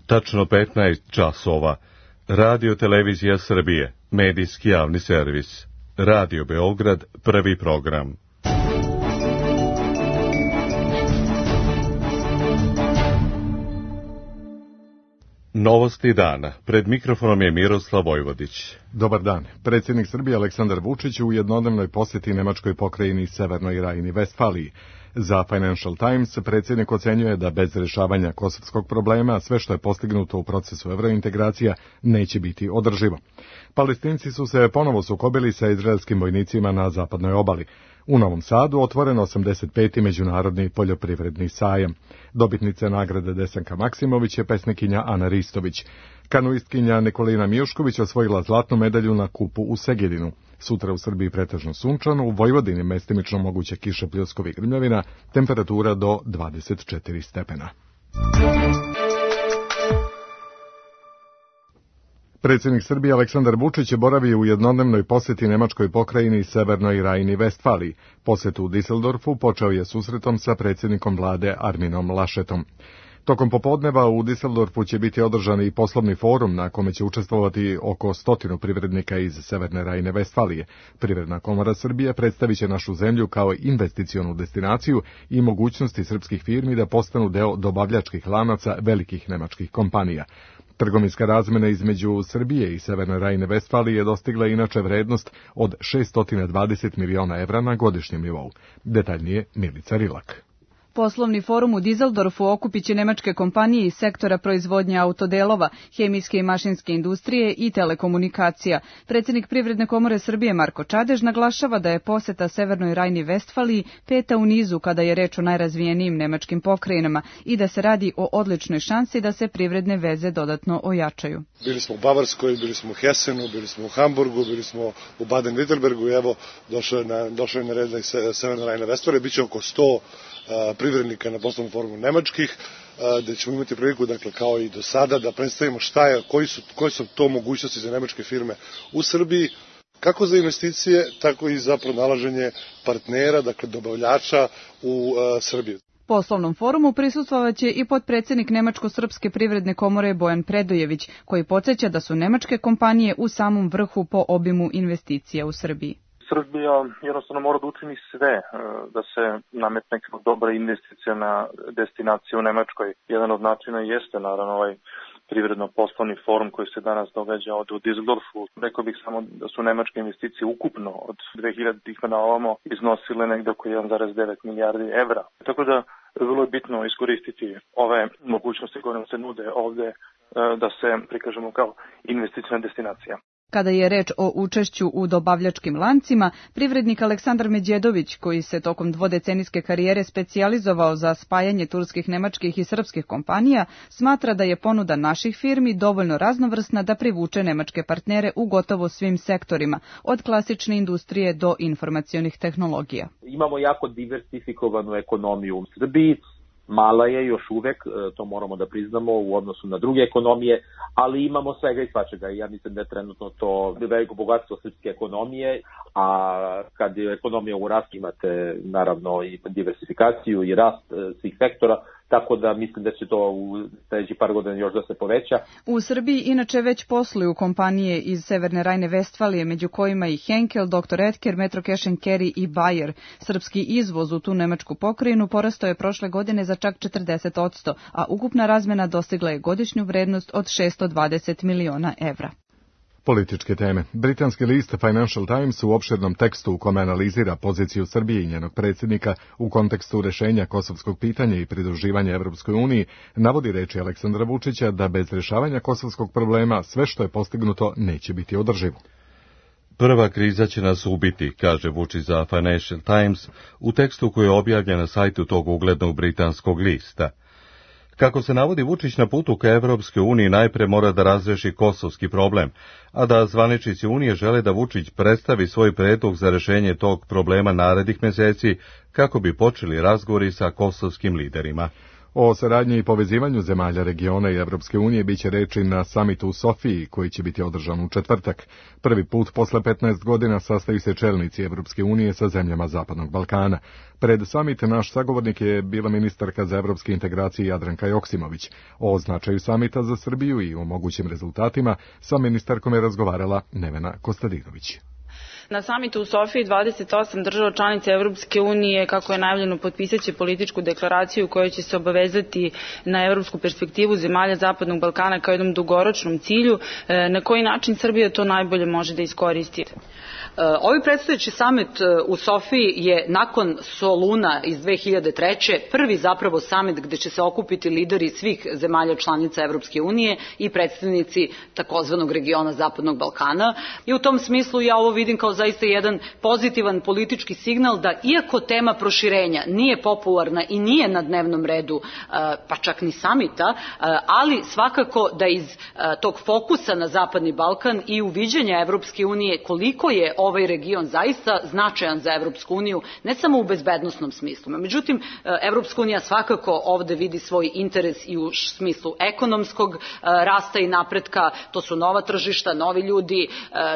Tačno 15 časova. Radio Televizija Srbije, medijski javni servis. Radio Beograd, prvi program. Novosti dana. Pred mikrofonom je Miroslav Vojvodić. Dobar dan. Predsjednik Srbije Aleksandar Vučić u jednodnevnoj posjeti nemačkoj pokrajini Severnoj Rajni-Vestfaliji. Za Financial Times predsjednik ocenjuje da bez rješavanja kosovskog problema sve što je postignuto u procesu evrointegracija neće biti održivo. Palestinci su se ponovo sukobili sa izraelskim vojnicima na zapadnoj obali. U Novom Sadu otvoren 85. međunarodni poljoprivredni sajam. Dobitnica nagrade Desanka Maksimović je pesnikinja Ana Ristović. Kanuistkinja Nikolina Mijušković osvojila zlatnu medalju na kupu u Segedinu. Sutra u Srbiji pretežno sunčano, u Vojvodini mestimično moguće kiše, pljuskovi i grmljavina, temperatura do 24 stepena. Predsjednik Srbije Aleksandar Vučić je boravio u jednodnevnoj posjeti nemačkoj pokrajini Severnoj Rajni-Vestfaliji. Posjet u Düsseldorfu počeo je susretom sa predsjednikom vlade Arminom Laschetom. Tokom popodneva u Düsseldorfu će biti održan i poslovni forum na kome će učestvovati oko 100 privrednika iz Severne Rajne-Vestfalije. Privredna komora Srbije predstavit će našu zemlju kao investicionu destinaciju i mogućnosti srpskih firmi da postanu deo dobavljačkih lanaca velikih nemačkih kompanija. Trgovinska razmjena između Srbije i Severne Rajne-Vestfalije je dostigla inače vrednost od 620 miliona evra na godišnjem nivou. Detaljnije Milica Rilak. Poslovni forum u Düsseldorfu okupit će nemačke kompanije iz sektora proizvodnje autodelova, hemijske i mašinske industrije i telekomunikacija. Predsjednik Privredne komore Srbije Marko Čadež naglašava da je posjeta Severnoj Rajni-Vestfaliji peta u nizu kada je reč o najrazvijenijim nemačkim pokrajinama i da se radi o odličnoj šansi da se privredne veze dodatno ojačaju. Bili smo u Bavarskoj, bili smo u Hesenu, bili smo u Hamburgu, bili smo u Baden-Württembergu i evo došao je na red Severna Rajna-Vestfalija, bit će oko 100 privrednika na poslovnom forumu nemačkih, gde ćemo imati priliku, dakle, kao i do sada, da predstavimo koje su to mogućnosti za nemačke firme u Srbiji, kako za investicije, tako i za pronalaženje partnera, dakle, dobavljača u Srbiji. Poslovnom forumu prisustvovaće i potpredsjednik Nemačko-srpske privredne komore Bojan Predojević, koji podsjeća da su nemačke kompanije u samom vrhu po obimu investicija u Srbiji. Srbija jednostavno mora da učini sve da se nametne kao dobra investiciona destinacija u Nemačkoj. Jedan od načina jeste naravno ovaj privredno-poslovni forum koji se danas događa ovdje u Düsseldorfu. Rekao bih samo da su nemačke investicije ukupno od 2000-ih na ovamo iznosile negdje oko 1,9 milijardi evra. Tako da vrlo je bitno iskoristiti ove mogućnosti koje nam se nude ovdje da se prikažemo kao investiciona destinacija. Kada je reč o učešću u dobavljačkim lancima, privrednik Aleksandar Međedović, koji se tokom dvodecenijske karijere specijalizovao za spajanje turskih, nemačkih i srpskih kompanija, smatra da je ponuda naših firmi dovoljno raznovrsna da privuče nemačke partnere u gotovo svim sektorima, od klasične industrije do informacionih tehnologija. Imamo jako diversifikovanu ekonomiju u Srbiji. Mala je još uvek, to moramo da priznamo u odnosu na druge ekonomije, ali imamo svega i svačega i ja mislim da je trenutno to veliko bogatstvo srpske ekonomije, a kad je ekonomija u rastu imate naravno i diversifikaciju i rast svih sektora, tako da mislim da će to u sljedećih par godina još da se poveća. U Srbiji inače već posluju kompanije iz Severne Rajne-Vestfalije, među kojima i Henkel, Dr. Edker, Metro Cash & Carry i Bayer. Srpski izvoz u tu nemačku pokrajinu porastao je prošle godine za čak 40%, a ukupna razmjena dostigla je godišnju vrednost od 620 miliona evra. Političke teme. Britanski list Financial Times u opširnom tekstu u kome analizira poziciju Srbije i njenog predsjednika u kontekstu rješenja kosovskog pitanja i pridruživanja Evropskoj uniji navodi reči Aleksandra Vučića da bez rješavanja kosovskog problema sve što je postignuto neće biti održivo. Prva kriza će nas ubiti, kaže Vučić za Financial Times u tekstu koji je objavljen na sajtu tog uglednog britanskog lista. Kako se navodi, Vučić na putu ka Evropskoj uniji najpre mora da razreši kosovski problem, a da zvaničnici Unije žele da Vučić predstavi svoj predlog za rješenje tog problema narednih mjeseci kako bi počeli razgovori sa kosovskim liderima. O saradnji i povezivanju zemalja regiona i Evropske unije biće reči na samitu u Sofiji, koji će biti održan u četvrtak. Prvi put posle 15 godina sastaju se čelnici Evropske unije sa zemljama Zapadnog Balkana. Pred samit naš sagovornik je bila ministarka za evropske integracije Jadranka Joksimović. O značaju samita za Srbiju i o mogućim rezultatima sa ministarkom je razgovarala Nevena Kostadinović. Na samitu u Sofiji 28 država članica Evropske unije, kako je najavljeno, potpisaće političku deklaraciju koja će se obavezati na evropsku perspektivu zemalja Zapadnog Balkana kao jednom dugoročnom cilju. Na koji način Srbija to najbolje može da iskoristi? Ovaj predstojeći samit u Sofiji je nakon Soluna iz 2003. prvi zapravo samit gde će se okupiti lideri svih zemalja članica Evropske unije i predstavnici takozvanog regiona Zapadnog Balkana. I u tom smislu ja ovo vidim kao zaista jedan pozitivan politički signal da iako tema proširenja nije popularna i nije na dnevnom redu, pa čak ni samita, ali svakako da iz tog fokusa na Zapadni Balkan i uviđenja Evropske unije koliko je ovaj region zaista značajan za Evropsku uniju, ne samo u bezbednosnom smislu. Međutim, Evropska unija svakako ovde vidi svoj interes i u smislu ekonomskog rasta i napretka, to su nova tržišta, novi ljudi,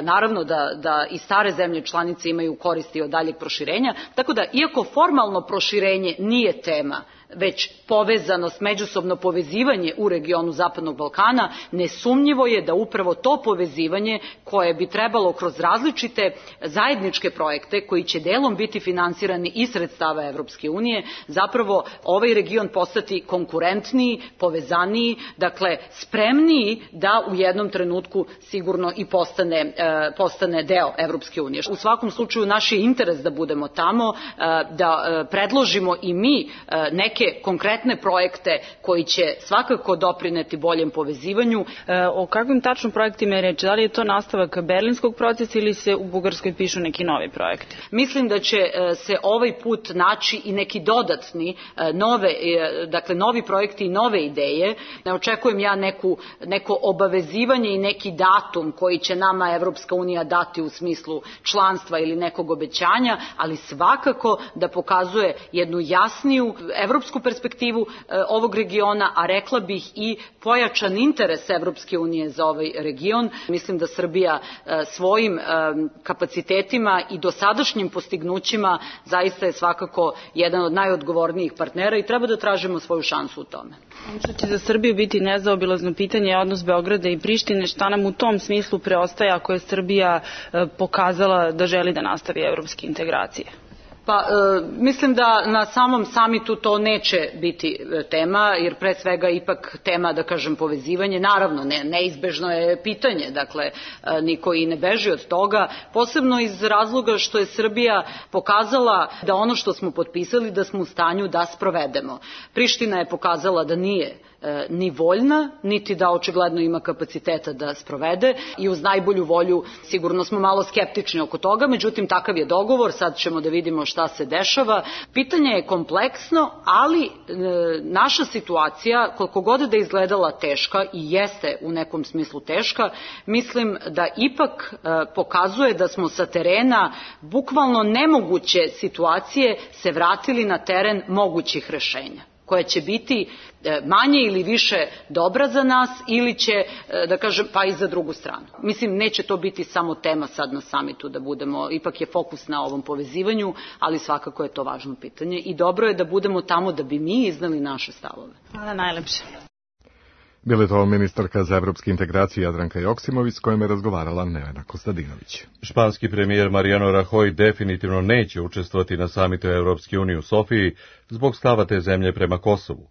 naravno da i stare zemlje članice imaju koristi od daljeg proširenja, tako da iako formalno proširenje nije tema, već povezanost, međusobno povezivanje u regionu Zapadnog Balkana, nesumnjivo je da upravo to povezivanje koje bi trebalo kroz različite zajedničke projekte koji će delom biti finansirani iz sredstava Evropske unije, zapravo ovaj region postati konkurentniji, povezaniji, dakle spremniji da u jednom trenutku sigurno i postane deo Evropske unije. U svakom slučaju naš je interes da budemo tamo, da predložimo i mi neke konkretne projekte koji će svakako doprineti boljem povezivanju. O kakvim tačno projektima je reč? Da li je to nastavak berlinskog procesa ili se u Bugarskoj pišu neki novi projekti? Mislim da će se ovaj put naći i neki dodatni, novi projekti i nove ideje. Ne očekujem ja neko obavezivanje i neki datum koji će nama Evropska unija dati u smislu članstva ili nekog obećanja, ali svakako da pokazuje jednu jasniju evropsku perspektivu ovog regiona, a rekla bih i pojačan interes Evropske unije za ovaj region. Mislim da Srbija svojim kapacitetima i dosadašnjim postignućima zaista je svakako jedan od najodgovornijih partnera i treba da tražimo svoju šansu u tome. Što će za Srbiju biti nezaobilazno pitanje je odnos Beograda i Prištine. Šta nam u tom smislu preostaje ako je Srbija pokazala da želi da nastavi evropske integracije? Pa mislim da na samom samitu to neće biti tema, jer pre svega ipak tema, da kažem, povezivanje, naravno neizbežno je pitanje, dakle niko i ne beži od toga, posebno iz razloga što je Srbija pokazala da ono što smo potpisali da smo u stanju da sprovedemo. Priština je pokazala da nije ni voljna, niti da očigledno ima kapaciteta da sprovede i uz najbolju volju sigurno smo malo skeptični oko toga, međutim takav je dogovor, sad ćemo da vidimo šta se dešava. Pitanje je kompleksno, ali naša situacija, koliko god da je izgledala teška i jeste u nekom smislu teška, mislim da ipak pokazuje da smo sa terena bukvalno nemoguće situacije se vratili na teren mogućih rešenja, koja će biti manje ili više dobra za nas ili će, da kažem, pa i za drugu stranu. Mislim, neće to biti samo tema sad na samitu da budemo, ipak je fokus na ovom povezivanju, ali svakako je to važno pitanje i dobro je da budemo tamo da bi mi iznali naše stavove. Hvala najlepše. Bila je to ministarka za evropske integracije Jadranka Joksimović s kojom je razgovarala Nevena Kostadinović. Španski premijer Mariano Rajoy definitivno neće učestvovati na samitu Evropske unije u Sofiji zbog stava te zemlje prema Kosovu.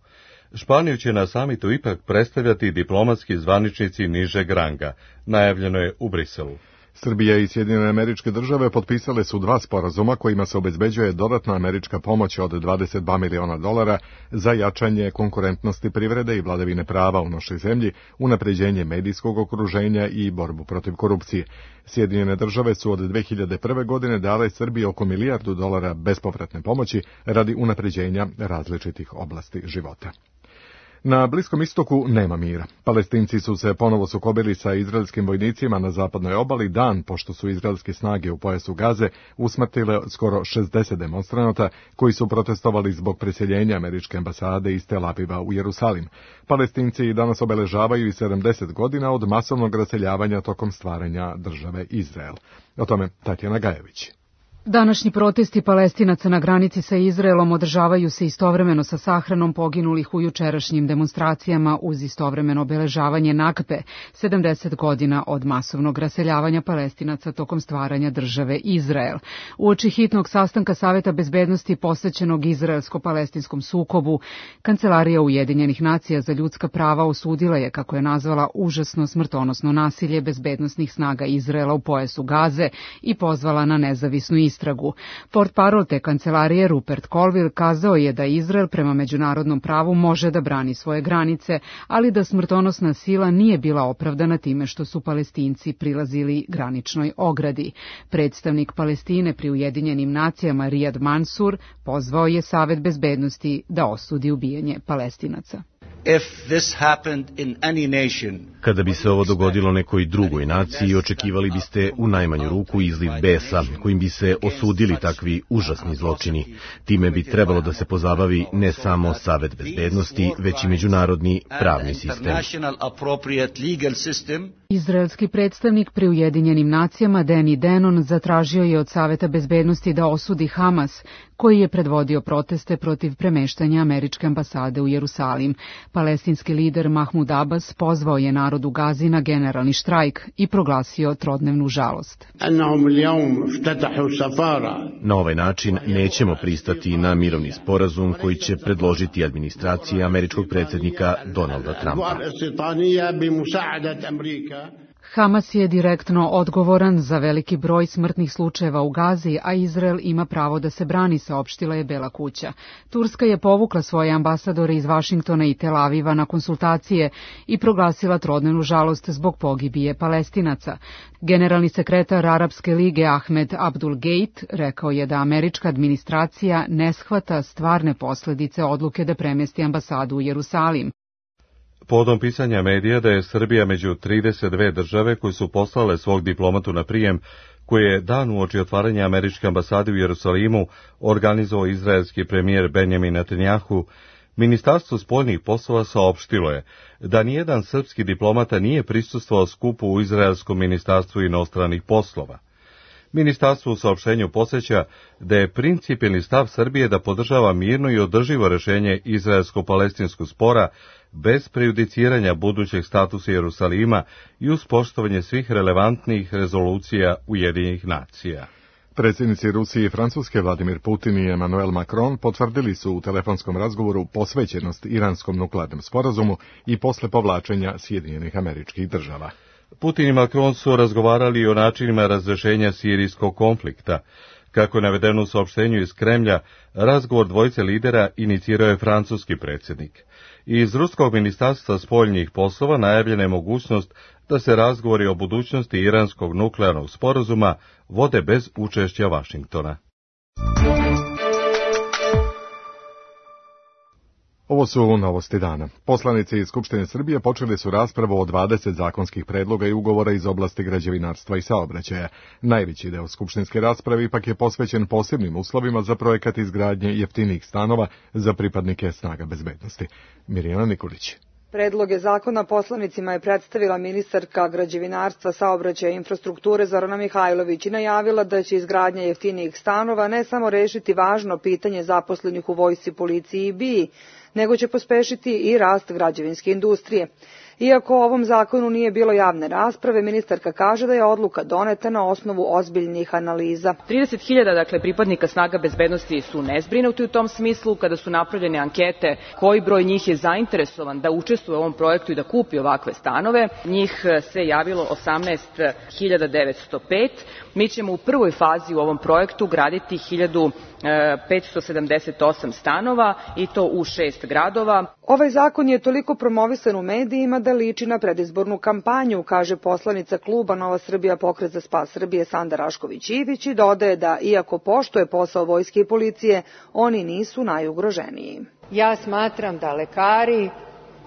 Španiju će na samitu ipak predstavljati diplomatski zvaničnici nižeg ranga, najavljeno je u Briselu. Srbija i Sjedinjene Američke Države potpisale su 2 sporazuma kojima se obezbeđuje dodatna američka pomoć od $22 miliona za jačanje konkurentnosti privrede i vladavine prava u našoj zemlji, unapređenje medijskog okruženja i borbu protiv korupcije. Sjedinjene Države su od 2001. godine dale Srbiji oko $1 milijardu bespovratne pomoći radi unapređenja različitih oblasti života. Na Bliskom istoku nema mira. Palestinci su se ponovo sukobili sa izraelskim vojnicima na zapadnoj obali dan pošto su izraelske snage u pojasu Gaze usmrtile skoro 60 demonstranata koji su protestovali zbog preseljenja američke ambasade iz Tel Aviva u Jerusalim. Palestinci danas obeležavaju i 70 godina od masovnog raseljavanja tokom stvaranja države Izrael. O tome Tatjana Gajević. Današnji protesti Palestinaca na granici sa Izraelom održavaju se istovremeno sa sahranom poginulih u jučerašnjim demonstracijama uz istovremeno obeležavanje Nakbe, 70 godina od masovnog raseljavanja Palestinaca tokom stvaranja države Izrael. Uoči hitnog sastanka Saveta bezbednosti posvećenog izraelsko-palestinskom sukobu, Kancelarija Ujedinjenih nacija za ljudska prava osudila je, kako je nazvala, užasno smrtonosno nasilje bezbednosnih snaga Izraela u pojasu Gaze i pozvala na nezavisnu istragu. Portparol te kancelarije Rupert Colville kazao je da Izrael prema međunarodnom pravu može da brani svoje granice, ali da smrtonosna sila nije bila opravdana time što su Palestinci prilazili graničnoj ogradi. Predstavnik Palestine pri Ujedinjenim nacijama Riyad Mansour pozvao je Savet bezbednosti da osudi ubijanje Palestinaca. Kada bi se ovo dogodilo nekoj drugoj naciji, očekivali biste u najmanju ruku izliv besa, kojim bi se osudili takvi užasni zločini. Time bi trebalo da se pozabavi ne samo Savet bezbednosti, već i međunarodni pravni sistem. Izraelski predstavnik pri Ujedinjenim nacijama Danny Danon zatražio je od Saveta bezbednosti da osudi Hamas, koji je predvodio proteste protiv premeštanja američke ambasade u Jerusalim. Palestinski lider Mahmud Abbas pozvao je narod u Gazi na generalni štrajk i proglasio trodnevnu žalost. Na ovaj način nećemo pristati na mirovni sporazum koji će predložiti administracija američkog predsjednika Donalda Trumpa. Hamas je direktno odgovoran za veliki broj smrtnih slučajeva u Gazi, a Izrael ima pravo da se brani, saopštila je Bela kuća. Turska je povukla svoje ambasadore iz Vašingtona i Tel Aviva na konsultacije i proglasila trodnevnu žalost zbog pogibije Palestinaca. Generalni sekretar Arapske lige Ahmed Abdul Gate rekao je da američka administracija ne shvata stvarne posljedice odluke da premjesti ambasadu u Jerusalim. Povodom pisanja medija da je Srbija među 32 države koje su poslale svog diplomatu na prijem, koji je dan uoči otvaranja američke ambasade u Jerusalimu organizovao izraelski premijer Benjamin Netanjahu, Ministarstvo spoljnih poslova saopštilo je da nijedan srpski diplomata nije prisustvovao skupu u izraelskom ministarstvu inostranih poslova. Ministarstvo u saopštenju podsjeća da je principijelni stav Srbije da podržava mirno i održivo rješenje izraelsko-palestinskog spora bez prejudiciranja budućeg statusa Jerusalima i uz poštovanje svih relevantnih rezolucija Ujedinjenih nacija. Predsjednici Rusije i Francuske Vladimir Putin i Emmanuel Macron potvrdili su u telefonskom razgovoru posvećenost iranskom nuklearnom sporazumu i posle povlačenja Sjedinjenih Američkih Država. Putin i Macron su razgovarali o načinima razrješenja sirijskog konflikta. Kako je navedeno u saopštenju iz Kremlja, razgovor dvojice lidera inicirao je francuski predsjednik. Iz ruskog ministarstva spoljnih poslova najavljena je mogućnost da se razgovori o budućnosti iranskog nuklearnog sporazuma vode bez učešća Vašingtona. Ovo su novosti dana. Poslanici iz Skupštine Srbije počeli su raspravu o 20 zakonskih predloga i ugovora iz oblasti građevinarstva i saobraćaja. Najveći deo skupštinske rasprave ipak je posvećen posebnim uslovima za projekat izgradnje jeftinijih stanova za pripadnike snaga bezbednosti. Mirjana Nikolić. Predloge zakona poslanicima je predstavila ministarka građevinarstva, saobraćaja i infrastrukture Zorana Mihajlović i najavila da će izgradnja jeftinijih stanova ne samo rešiti važno pitanje zaposlenih u vojsci, policiji i BIA, nego će pospešiti i rast građevinske industrije. Iako o ovom zakonu nije bilo javne rasprave, ministarka kaže da je odluka doneta na osnovu ozbiljnih analiza. 30.000 pripadnika snaga bezbednosti su nezbrinuti u tom smislu. Kada su napravljene ankete koji broj njih je zainteresovan da učestvuje u ovom projektu i da kupi ovakve stanove, njih se javilo 18.905. Mi ćemo u prvoj fazi u ovom projektu graditi 1.578 stanova i to u 6 gradova. Ovaj zakon je toliko promovisan u medijima da liči na predizbornu kampanju, kaže poslanica kluba Nova Srbija Pokret za spas Srbije Sanda Rašković-Ivić i dodaje da, iako poštuje posao vojske i policije, oni nisu najugroženiji. Ja smatram da lekari,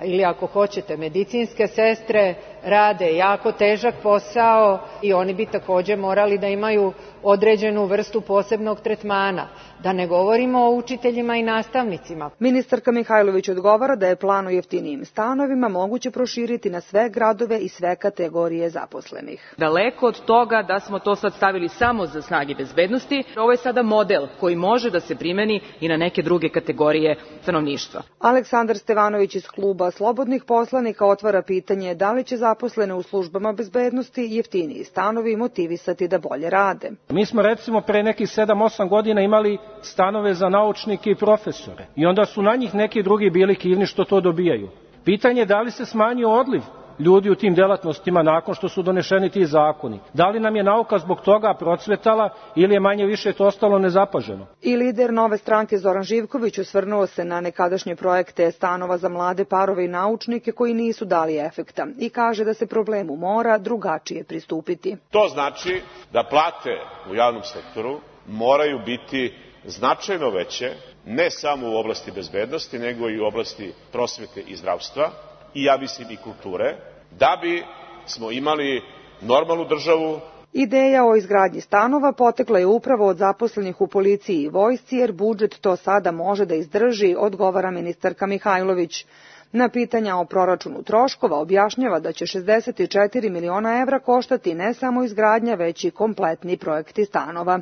ili ako hoćete medicinske sestre, rade jako težak posao i oni bi takođe morali da imaju određenu vrstu posebnog tretmana. Da ne govorimo o učiteljima i nastavnicima. Ministarka Mihajlović odgovara da je plan o jeftinijim stanovima moguće proširiti na sve gradove i sve kategorije zaposlenih. Daleko od toga da smo to sad stavili samo za snage bezbednosti, ovo je sada model koji može da se primeni i na neke druge kategorije stanovništva. Aleksandar Stevanović iz kluba Slobodnih poslanika otvara pitanje da li će zaposlene u službama bezbednosti jeftiniji stanovi motivisati da bolje rade. Mi smo recimo pre nekih 7-8 godina imali stanove za naučnike i profesore i onda su na njih neki drugi bili kivni što to dobijaju. Pitanje je da li se smanjio odliv ljudi u tim delatnostima nakon što su donešeni ti zakoni. Da li nam je nauka zbog toga procvetala ili je manje više to ostalo nezapaženo? I lider Nove stranke Zoran Živković osvrnuo se na nekadašnje projekte stanova za mlade parove i naučnike koji nisu dali efekta i kaže da se problemu mora drugačije pristupiti. To znači da plate u javnom sektoru moraju biti značajno veće, ne samo u oblasti bezbednosti, nego i u oblasti prosvete i zdravstva i ja mislim i kulture, da bi smo imali normalnu državu. Ideja o izgradnji stanova potekla je upravo od zaposlenih u policiji i vojsci, jer budžet to sada može da izdrži, odgovara ministarka Mihajlović. Na pitanja o proračunu troškova objašnjava da će 64 miliona evra koštati ne samo izgradnja, već i kompletni projekti stanova.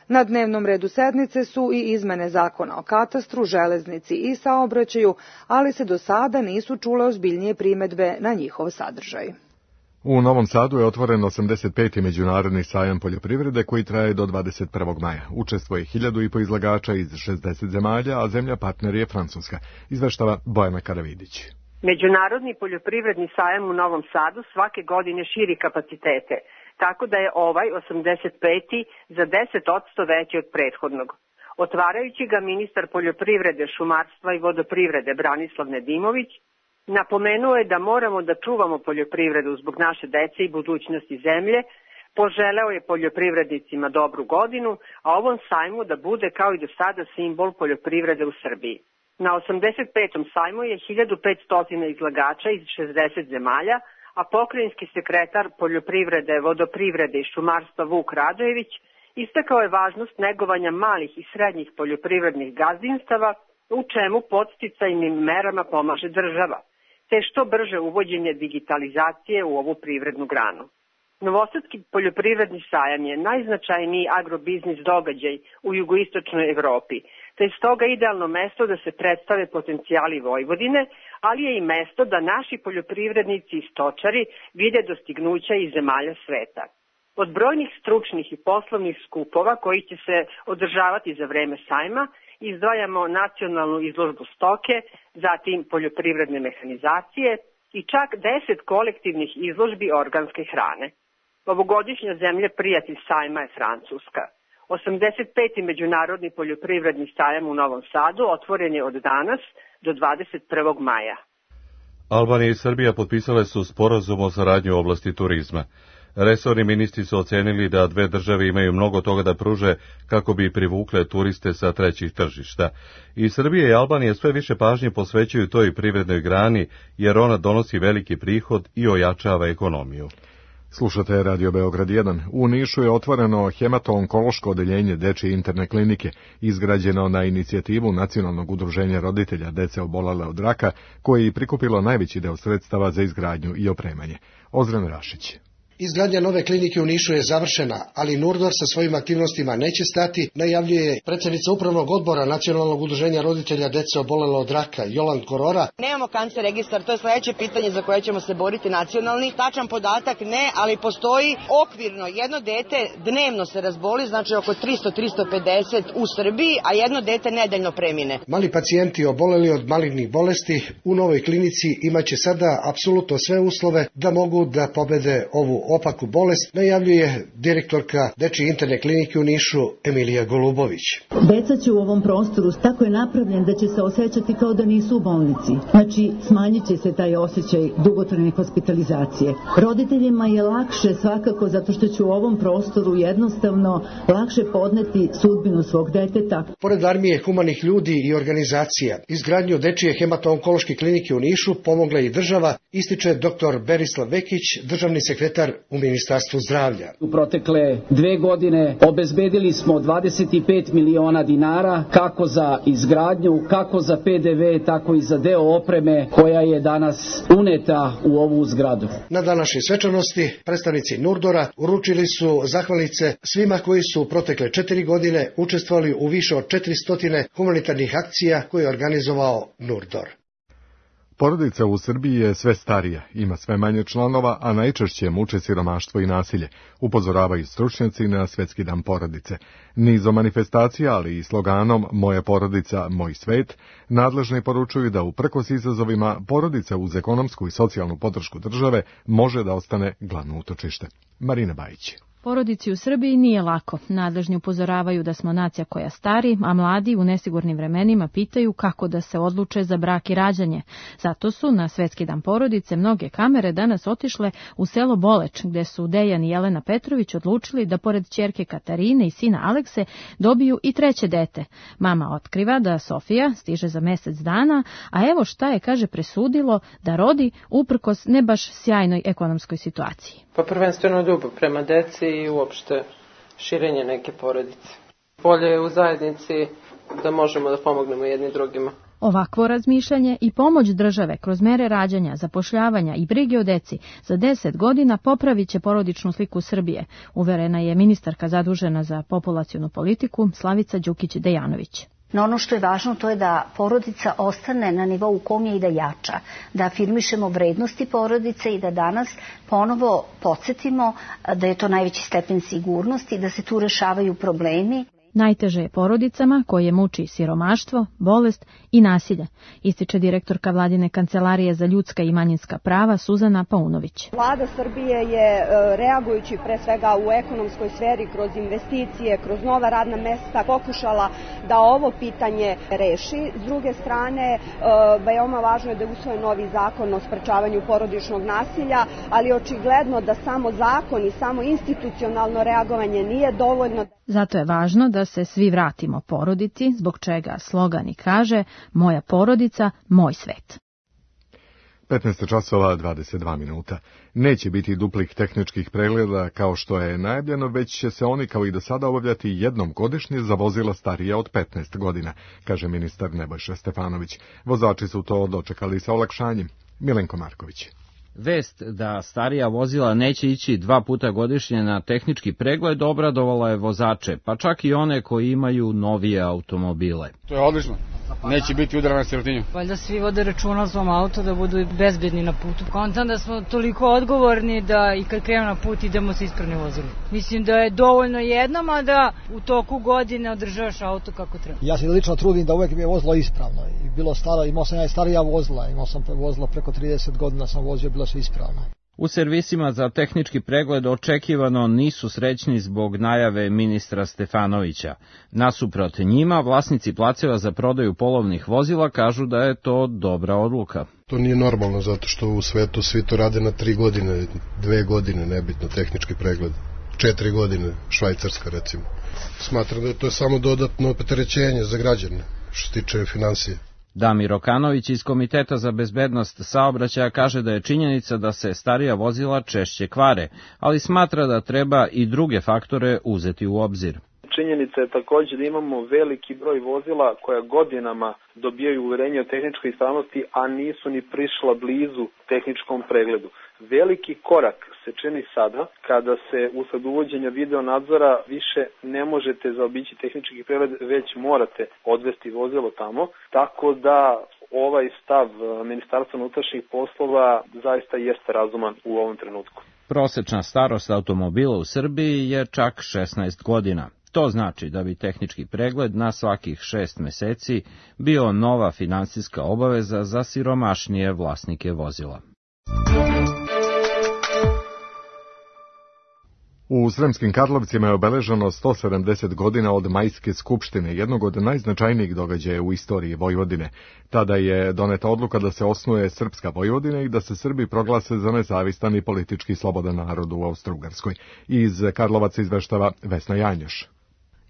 Na dnevnom redu sednice su i izmene zakona o katastru, železnici i saobraćaju, ali se do sada nisu čule ozbiljnije primedbe na njihov sadržaj. U Novom Sadu je otvoren 85. međunarodni sajam poljoprivrede koji traje do 21. maja. Učestvuje 1.500 izlagača iz 60 zemalja, a zemlja partner je Francuska, izveštava Bojana Karavidić. Međunarodni poljoprivredni sajam u Novom Sadu svake godine širi kapacitete, tako da je ovaj 85. za 10% veći od prethodnog. Otvarajući ga ministar poljoprivrede, šumarstva i vodoprivrede Branislav Nedimović napomenuo je da moramo da čuvamo poljoprivredu zbog naše dece i budućnosti zemlje, poželeo je poljoprivrednicima dobru godinu, a ovom sajmu da bude kao i do sada simbol poljoprivrede u Srbiji. Na 85. sajmu je 1500 izlagača iz 60 zemalja, a pokrajinski sekretar poljoprivrede, vodoprivrede i šumarstva Vuk Radojević istakao je važnost negovanja malih i srednjih poljoprivrednih gazdinstava, u čemu podsticajnim merama pomaže država, te što brže uvođenje digitalizacije u ovu privrednu granu. Novosadski poljoprivredni sajam je najznačajniji agrobiznis događaj u jugoistočnoj Evropi, te je stoga idealno mesto da se predstave potencijali Vojvodine, ali je i mesto da naši poljoprivrednici i stočari vide dostignuća iz zemalja sveta. Od brojnih stručnih i poslovnih skupova koji će se održavati za vreme sajma, izdvajamo nacionalnu izložbu stoke, zatim poljoprivredne mehanizacije i čak 10 kolektivnih izložbi organske hrane. Ovogodišnja zemlja prijatelj sajma je Francuska. 85. međunarodni poljoprivredni sajam u Novom Sadu otvoren je od danas do 21. maja. Albanija i Srbija potpisale su sporazum o saradnji u oblasti turizma. Resorni ministri su ocenili da dve države imaju mnogo toga da pruže kako bi privukle turiste sa trećih tržišta. I Srbija i Albanija sve više pažnje posvećuju toj privrednoj grani jer ona donosi veliki prihod i ojačava ekonomiju. Slušate Radio Beograd 1. U Nišu je otvoreno hemato-onkološko odeljenje dečje interne klinike, izgrađeno na inicijativu Nacionalnog udruženja roditelja dece obolele od raka, koje je prikupilo najveći deo sredstava za izgradnju i opremanje. Ozren Rašić. Izgradnja nove klinike u Nišu je završena, ali Nurdor sa svojim aktivnostima neće stati, najavljuje predsjednica upravnog odbora Nacionalnog udruženja roditelja dece obolele od raka, Jolan Korora. Nemamo kancer registar, to je sledeće pitanje za koje ćemo se boriti nacionalni. Tačan podatak ne, ali postoji okvirno jedno dete dnevno se razboli, znači oko 300-350 u Srbiji, a jedno dete nedeljno premine. Mali pacijenti oboleli od malignih bolesti u novoj klinici imaće sada apsolutno sve uslove da mogu da pobede ovu opaku bolest, najavljuje direktorka Dečije interne klinike u Nišu Emilija Golubović. Deca će u ovom prostoru tako je napravljen da će se osjećati kao da nisu u bolnici. Znači, smanjit će se taj osjećaj dugotrajne hospitalizacije. Roditeljima je lakše svakako zato što će u ovom prostoru jednostavno lakše podneti sudbinu svog deteta. Pored armije humanih ljudi i organizacija, izgradnju Dečije hemato-onkološke klinike u Nišu pomogla i država, ističe dr. Berislav Vekić, državni sekretar u Ministarstvu zdravlja. U protekle 2 godine obezbedili smo 25 miliona dinara kako za izgradnju, kako za PDV, tako i za deo opreme koja je danas uneta u ovu zgradu. Na današnjoj svečanosti predstavnici Nurdora uručili su zahvalnice svima koji su u protekle 4 godine učestvovali u više od 400 humanitarnih akcija koje je organizovao Nurdor. Porodica u Srbiji je sve starija, ima sve manje članova, a najčešće muče siromaštvo i nasilje, upozoravaju stručnjaci na Svetski dan porodice. Nizom manifestacija, ali i sloganom Moja porodica, moj svet, nadležni poručuju da uprkos izazovima porodica uz ekonomsku i socijalnu podršku države može da ostane glavno utočište. Marina Bajić. Porodici u Srbiji nije lako. Nadležni upozoravaju da smo nacija koja stari, a mladi u nesigurnim vremenima pitaju kako da se odluče za brak i rađanje. Zato su na Svetski dan porodice mnoge kamere danas otišle u selo Boleč, gde su Dejan i Jelena Petrović odlučili da pored ćerke Katarine i sina Alekse dobiju i treće dete. Mama otkriva da Sofija stiže za mesec dana, a evo šta je, kaže, presudilo da rodi uprkos ne baš sjajnoj ekonomskoj situaciji. Pa prvenstveno ljubav prema deci i uopšte širenje neke porodice. Bolje je u zajednici da možemo da pomognemo jedni drugima. Ovakvo razmišljanje i pomoć države kroz mere rađanja, zapošljavanja i brige o deci za 10 godina popravit će porodičnu sliku Srbije, uverena je ministarka zadužena za populacionu politiku Slavica Đukić-Dejanović. No ono što je važno to je da porodica ostane na nivou u kom je i da jača, da afirmišemo vrednosti porodice i da danas ponovo podsjetimo da je to najveći stepen sigurnosti, da se tu rešavaju problemi. Najteže je porodicama koje muči siromaštvo, bolest i nasilje, ističe direktorka Vladine kancelarije za ljudska i manjinska prava Suzana Paunović. Vlada Srbije je, reagujući pre svega u ekonomskoj sferi, kroz investicije, kroz nova radna mesta, pokušala da ovo pitanje reši. S druge strane, veoma važno je da je usvojen novi zakon o sprečavanju porodičnog nasilja, ali očigledno da samo zakon i samo institucionalno reagovanje nije dovoljno. Zato je važno da se svi vratimo porodici, zbog čega slogan i kaže Moja porodica, moj svet. 15 časova 22 minuta. Neće biti duplih tehničkih pregleda kao što je najavljeno, već će se oni kao i do sada obavljati jednom godišnje za vozila starija od 15 godina, kaže ministar Nebojša Stefanović. Vozači su to dočekali sa olakšanjem. Milenko Marković. Vest da starija vozila neće ići 2 puta godišnje na tehnički pregled obradovala je vozače, pa čak i one koji imaju novije automobile. To je odlično. Neće biti udara na sirotinju. Valjda svi vode računa o svom auto da budu bezbedni na putu. Kontam da smo toliko odgovorni da i kad krenemo na put idemo sa ispravnim vozilom. Mislim da je dovoljno jednom, a da u toku godine održavaš auto kako treba. Ja se lično trudim da uvek mi je vozilo ispravno. I bilo staro, imao sam ja i starija vozila, imao sam vozila preko 30 godina sam vozio, bilo sve ispravno. U servisima za tehnički pregled očekivano nisu srećni zbog najave ministra Stefanovića. Nasuprot njima, vlasnici placeva za prodaju polovnih vozila kažu da je to dobra odluka. To nije normalno zato što u svetu svi to rade na 3 godine, 2 godine, nebitno tehnički pregled. 4 godine, Švajcarska recimo. Smatram da je to samo dodatno opterećenje za građane što se tiče finansije. Damir Okanović iz Komiteta za bezbednost saobraćaja kaže da je činjenica da se starija vozila češće kvare, ali smatra da treba i druge faktore uzeti u obzir. Činjenica je također da imamo veliki broj vozila koja godinama dobijaju uverenje o tehničkoj ispravnosti, a nisu ni prišla blizu tehničkom pregledu. Veliki korak se čini sada kada se usled uvođenja video nadzora više ne možete zaobići tehnički pregled, već morate odvesti vozilo tamo, tako da ovaj stav Ministarstva unutrašnjih poslova zaista jeste razuman u ovom trenutku. Prosečna starost automobila u Srbiji je čak 16 godina. To znači da bi tehnički pregled na svakih 6 meseci bio nova finansijska obaveza za siromašnije vlasnike vozila. U Sremskim Karlovcima je obeleženo 170 godina od Majske skupštine, jednog od najznačajnijih događaja u istoriji Vojvodine. Tada je doneta odluka da se osnuje Srpska Vojvodina i da se Srbi proglase za nezavistan i politički slobodan narod u Austro-Ugarskoj. Iz Karlovaca izveštava Vesna Janjoš.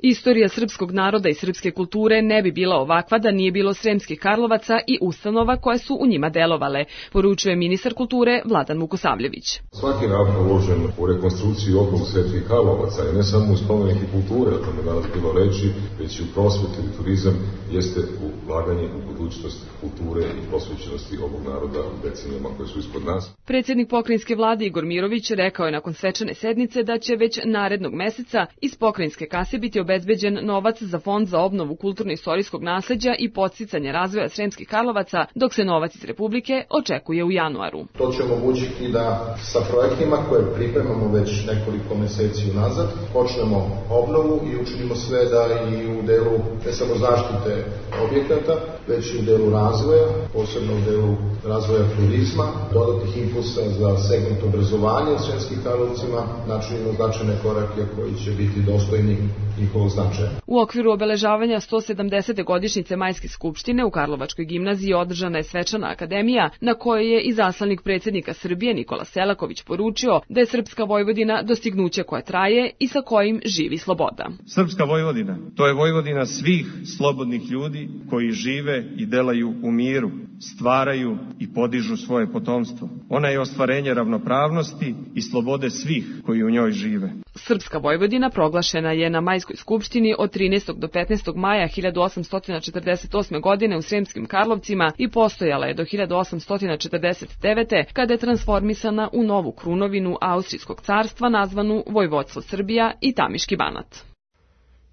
Istorija srpskog naroda i srpske kulture ne bi bila ovakva da nije bilo Sremskih Karlovaca i ustanova koje su u njima delovale, poručuje ministar kulture Vladan Vukosavljević. Svaki napor uložen u rekonstrukciju okruga Sremskih Karlovaca i ne samo u spomenike kulture, o tome danas bilo reći, već i u prosvetu i turizam, jeste ulaganje u budućnost kulture i posvećenosti ovog naroda u decenijama koje su ispod nas. Predsjednik pokrajinske vlade Igor Mirović rekao je nakon svečane sednice da će već narednog meseca iz pokrajinske kase biti obezbeđen novac za fond za obnovu kulturno-istorijskog nasleđa i podsticanje razvoja Sremskih Karlovaca, dok se novac iz Republike očekuje u januaru. To će omogućiti da sa projektima koje pripremamo već nekoliko meseci unazad počnemo obnovu i učinimo sve da i u delu ne samo zaštite objekata, već i u delu razvoja, posebno u delu razvoja turizma, dodatnih impulsa za segment obrazovanja u Sremskim Karlovcima, načinimo značajne korake koji će biti dostojni njihovog značaja. U okviru obeležavanja 170. godišnjice Majske skupštine u Karlovačkoj gimnaziji održana je svečana akademija na kojoj je i zaslanik predsjednika Srbije Nikola Selaković poručio da je Srpska Vojvodina dostignuće koje traje i sa kojim živi sloboda. Srpska Vojvodina, to je Vojvodina svih slobodnih ljudi koji žive i delaju u miru, stvaraju i podižu svoje potomstvo. Ona je ostvarenje ravnopravnosti i slobode svih koji u njoj žive. Srpska Vojvodina proglašena je na Majskoj skupštini od 13. do 15. maja 1848. godine u Sremskim Karlovcima i postojala je do 1849. kada je transformisana u novu krunovinu Austrijskog carstva nazvanu Vojvodstvo Srbija i Tamiški Banat.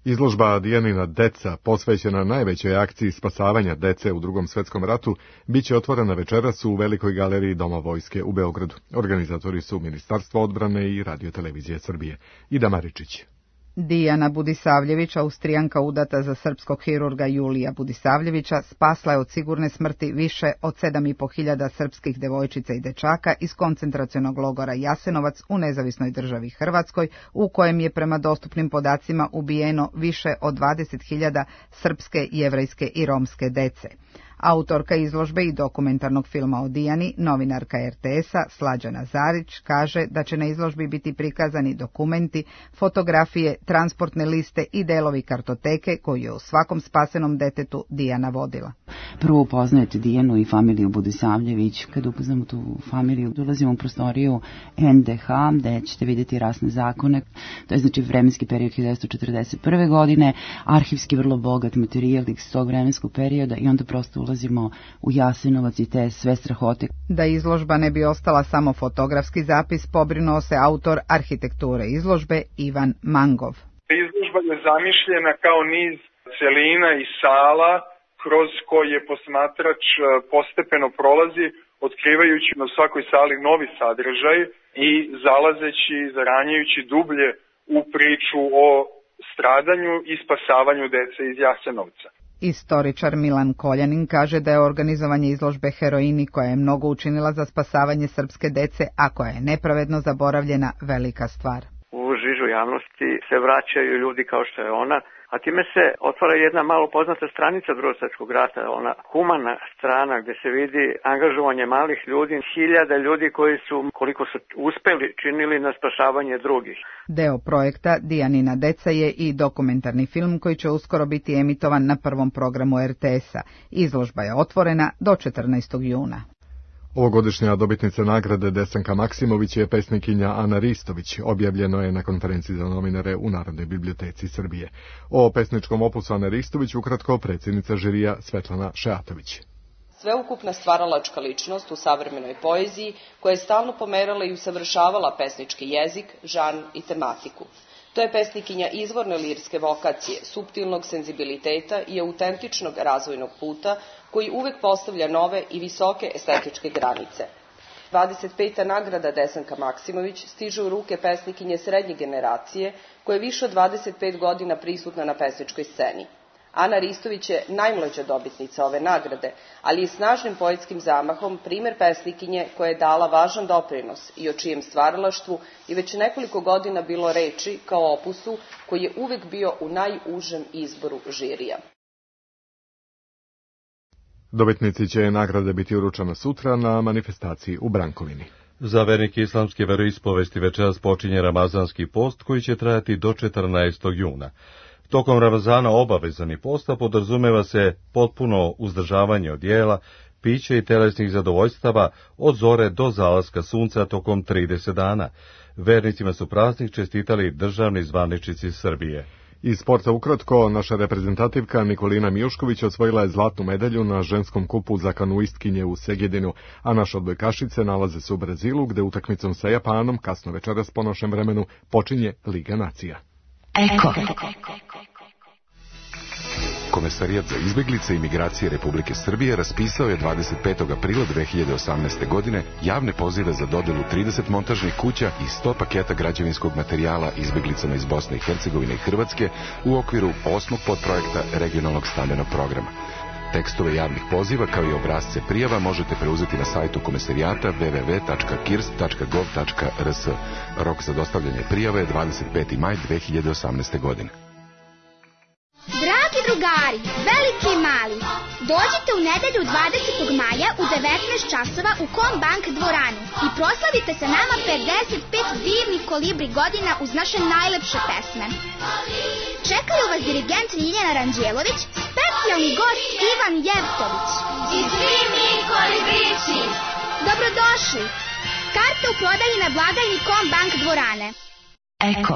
Izložba Dijanina deca, posvećena najvećoj akciji spasavanja dece u Drugom svetskom ratu, biće otvorena večeras u Velikoj galeriji Doma vojske u Beogradu. Organizatori su Ministarstvo odbrane i Radio-televizije Srbije. Ida Maričić. Dijana Budisavljević, Austrijanka udata za srpskog hirurga Julija Budisavljevića, spasla je od sigurne smrti više od 7.500 srpskih devojčica i dečaka iz koncentracionog logora Jasenovac u nezavisnoj državi Hrvatskoj, u kojem je prema dostupnim podacima ubijeno više od 20.000 srpske, jevrejske i romske dece. Autorka izložbe i dokumentarnog filma o Dijani, novinarka RTS-a Slađana Zarić, kaže da će na izložbi biti prikazani dokumenti, fotografije, transportne liste i delovi kartoteke koju je u svakom spasenom detetu Dijana vodila. Prvo upoznajete Dijanu i familiju Budisavljević. Kada upoznamo tu familiju, dolazimo u prostoriju NDH, gde ćete vidjeti rasne zakone. To je znači vremenski period 1941. godine, arhivski vrlo bogat materijal iz tog vremenskog perioda i onda prosto ulazimo u Jasenovac i te sve strahote. Da izložba ne bi ostala samo fotografski zapis, pobrinuo se autor arhitekture izložbe Ivan Mangov. Izložba je zamišljena kao niz celina i sala kroz koje posmatrač postepeno prolazi, otkrivajući na svakoj sali novi sadržaj i zalazeći, zaranjajući dublje u priču o stradanju i spasavanju dece iz Jasenovca. Istoričar Milan Koljanin kaže da je organizovanje izložbe Heroini, koja je mnogo učinila za spasavanje srpske dece, a koja je nepravedno zaboravljena, velika stvar. U žižu javnosti se vraćaju ljudi kao što je ona, a time se otvara jedna malo poznata stranica Drugog svjetskog rata, ona humana strana gdje se vidi angažovanje malih ljudi, hiljada ljudi koji su, koliko su uspeli, činili na spašavanje drugih. Deo projekta Dijanina deca je i dokumentarni film koji će uskoro biti emitovan na prvom programu RTS-a. Izložba je otvorena do 14. juna. Ovogodišnja dobitnica nagrade Desanka Maksimović je pesnikinja Ana Ristović, objavljeno je na konferenciji za novinare u Narodnoj biblioteci Srbije. O pesničkom opusu Ane Ristović ukratko predsjednica žirija Svetlana Šeatović. Sveukupna stvaralačka ličnost u savremenoj poeziji koja je stalno pomerala i usavršavala pesnički jezik, žanr i tematiku. To je pesnikinja izvorne lirske vokacije, suptilnog senzibiliteta i autentičnog razvojnog puta koji uvek postavlja nove i visoke estetičke granice. 25. nagrada Desanka Maksimović stiže u ruke pesnikinje srednje generacije koja je više od 25 godina prisutna na pesničkoj sceni. Ana Ristović je najmlađa dobitnica ove nagrade, ali i snažnim poetskim zamahom primer pesnikinje koja je dala važan doprinos i o čijem stvaralaštvu i već nekoliko godina bilo reči kao opusu koji je uvek bio u najužem izboru žirija. Dobitnici će nagrade biti uručena sutra na manifestaciji u Brankovini. Za vernike islamske veroispovesti večeras počinje ramazanski post koji će trajati do 14. juna. Tokom Ramazana obavezani posta podrazumeva se potpuno uzdržavanje od jela, pića i telesnih zadovoljstava od zore do zalaska sunca tokom 30 dana. Vernicima su praznik čestitali državni zvaničnici Srbije. Iz sporta ukratko, naša reprezentativka Nikolina Mijušković osvojila je zlatnu medalju na ženskom kupu za kanuistkinje u Segedinu, a naše odbojkašice nalaze se u Brazilu, gde utakmicom sa Japanom, kasno večeras po našem vremenu, počinje Liga nacija. Eko. Komesarijat za izbeglice i migracije Republike Srbije raspisao je 25. aprila 2018. godine javne pozive za dodelu 30 montažnih kuća i 100 paketa građevinskog materijala izbeglicama iz Bosne i Hercegovine i Hrvatske u okviru 8. podprojekta regionalnog stambenog programa. Tekstove javnih poziva kao i obrazce prijava možete preuzeti na sajtu komesarijata www.kirst.gov.rs. Rok za dostavljanje prijava je 25. maj 2018. godine. Dragi drugari, veliki i mali, dođite u nedelju 20. maja u 19 časova u Kombank dvoranu i proslavite sa nama 55 divnih kolibri godina uz naše najlepše pesme. Čekaju vas dirigent Ljiljana Ranđelović, specijalni gost Ivan Jevtović i svi mi kolibrići. Dobrodošli! Karte u prodaji na blagajni Kombank dvorane. Eko.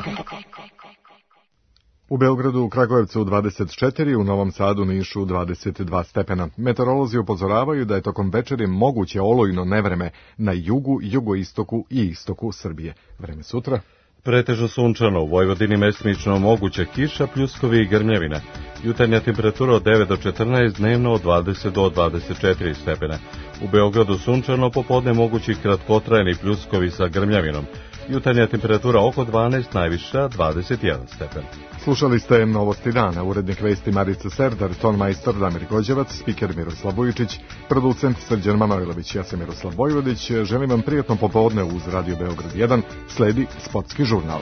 U Beogradu, u Kragujevcu 24, u Novom Sadu, Nišu 22 stepena. Meteorolozi upozoravaju da je tokom večeri moguće olujno nevreme na jugu, jugoistoku i istoku Srbije. Vreme sutra? Pretežno sunčano, u Vojvodini mestimično moguća kiša, pljuskovi i grmljavina. Jutarnja temperatura od 9 do 14, dnevno od 20 do 24 stepena. U Beogradu sunčano, popodne mogući kratkotrajni pljuskovi sa grmljavinom. Jutarnja temperatura oko 12, najviša 21 stepen. Slušali ste Novosti dana, urednik vesti Marica Serdar, tonmajstor Damir Gođevac, spiker Miroslav Vujičić, producent Srđan Manojlović, ja sam Miroslav Vojvodić. Želim vam prijatno popodne uz Radio Beograd 1, sledi sportski žurnal.